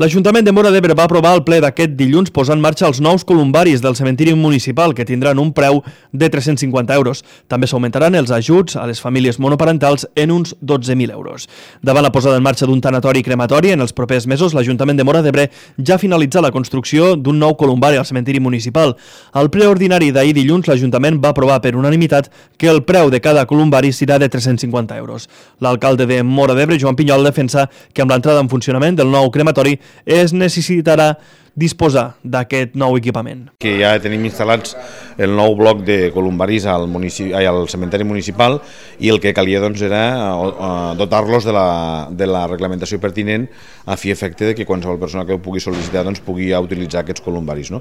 L'Ajuntament de Móra d'Ebre va aprovar el ple d'aquest dilluns posar en marxa els nous columbaris del cementiri municipal que tindran un preu de 350 euros. També s'augmentaran els ajuts a les famílies monoparentals en uns 12.000 euros. Davant la posada en marxa d'un tanatori i crematori, en els propers mesos l'Ajuntament de Móra d'Ebre ja ha finalitzat la construcció d'un nou columbari al cementiri municipal. Al ple ordinari d'ahir dilluns l'Ajuntament va aprovar per unanimitat que el preu de cada columbari serà de 350 euros. L'alcalde de Móra d'Ebre, Joan Pinyol, defensa que amb l'entrada en funcionament del nou crematori es necessitarà disposar d'aquest nou equipament. Que ja tenim instal·lats el nou bloc de columbaris al cementeri municipal i el que calia era dotar-los de la reglamentació pertinent a fi efecte de que qualsevol persona que ho pugui sol·licitar pugui utilitzar aquests columbaris.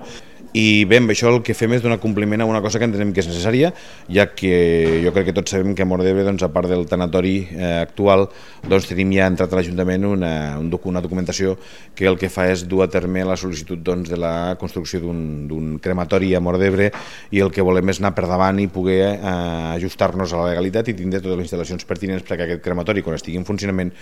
I bé, amb això el que fem és donar compliment a una cosa que entenem que és necessària, ja que jo crec que tots sabem que a Móra d'Ebre, a part del tanatori actual, tenim ja entrat a l'Ajuntament una documentació que el que fa és dur a terme la sol·licitud de la construcció d'un crematori a Móra d'Ebre, i el que volem és anar per davant i poder ajustar-nos a la legalitat i tindre totes les instal·lacions pertinents perquè aquest crematori, quan estigui en funcionament,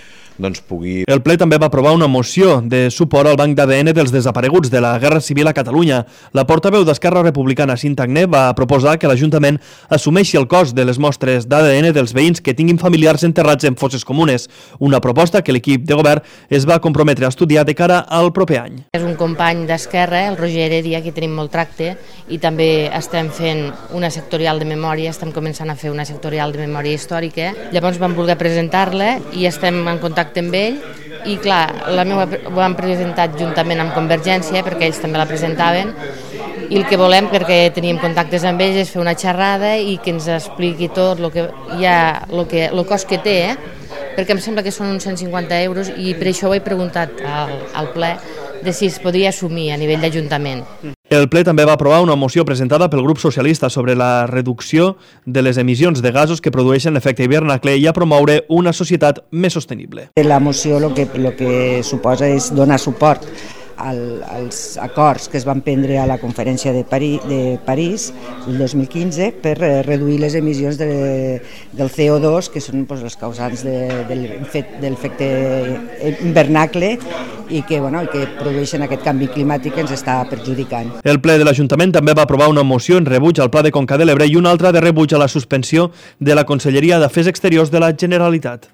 pugui... El ple també va aprovar una moció de suport al banc d'ADN dels desapareguts de la Guerra Civil a Catalunya. La portaveu d'Esquerra Republicana, Cinta Agné, va proposar que l'Ajuntament assumeixi el cost de les mostres d'ADN dels veïns que tinguin familiars enterrats en fosses comunes, una proposta que l'equip de govern es va comprometre a estudiar de cara al proper any. És un company d'Esquerra, el Roger Heredia, que tenim molt tracte, i també estem fent una sectorial de memòria, estem començant a fer una sectorial de memòria històrica. Llavors vam voler presentar-la i estem en contacte amb ell, i clar, la meva ho han presentat juntament amb Convergència, perquè ells també la presentaven, i el que volem, perquè teníem contactes amb ells, és fer una xerrada i que ens expliqui tot el cost que té, perquè em sembla que són uns 150 euros, i per això ho he preguntat al ple de si es podia assumir a nivell d'Ajuntament. El ple també va aprovar una moció presentada pel grup socialista sobre la reducció de les emissions de gasos que produeixen l'efecte hivernacle i a promoure una societat més sostenible. La moció el que suposa és donar suport als acords que es van prendre a la conferència de París el 2015 per reduir les emissions del CO2, que són els causants de l'efecte hivernacle i que produeixen aquest canvi climàtic que ens està perjudicant. El ple de l'Ajuntament també va aprovar una moció en rebuig al Pla de Conca de l'Ebre i una altra de rebuig a la suspensió de la Conselleria d'Afers Exteriors de la Generalitat.